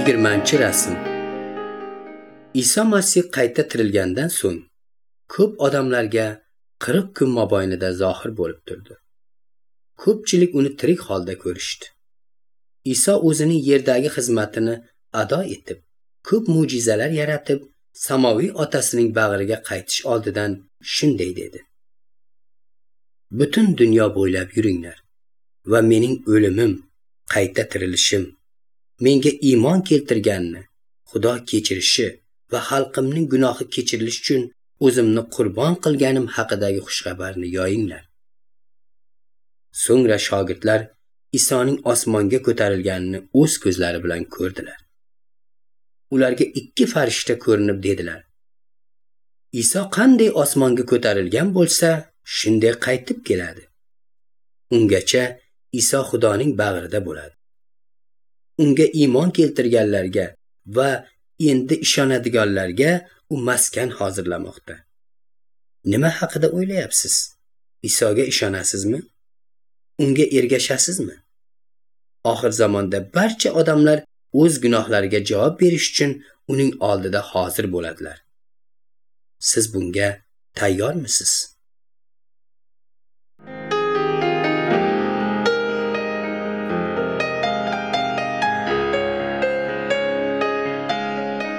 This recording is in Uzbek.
20-rasm. Iso Masih qayta tirilgandan so'ng ko'p odamlarga 40 kun mobaynida zohir bo'lib turdi. Ko'pchilik uni tirik holda ko'rishdi. Iso o'zining yerdagi xizmatini ado etib, ko'p mo'jizalar yaratib, samoviy otasining bag'riga qaytish oldidan shunday dedi: Butun dunyo bo'ylab yuringlar va mening o'limim, qayta tirilishim, menga iymon keltirganni Xudo kechirishi va xalqimning gunohi kechirilishi uchun o'zimni qurbon qilganim haqidagi xushxabarni yoyinglar. So'ngra shogirdlar Isoning osmonga ko'tarilganini o'z ko'zlari bilan ko'rdilar. Ularga 2 farishta ko'rinib dedilar: Iso qanday osmonga ko'tarilgan bo'lsa, shunday qaytib keladi. Ungacha Iso Xudoning bag'rida bo'ladi. Unga iymon keltirganlarga va endi ishonadiganlarga u maskan hozirlamoqda. Nima haqida o'ylayapsiz? Isoga ishonasizmi? Unga ergashasizmi? Oxir zamonda barcha odamlar o'z gunohlariga javob berish uchun uning oldida hozir bo'ladilar. Siz bunga tayyormisiz?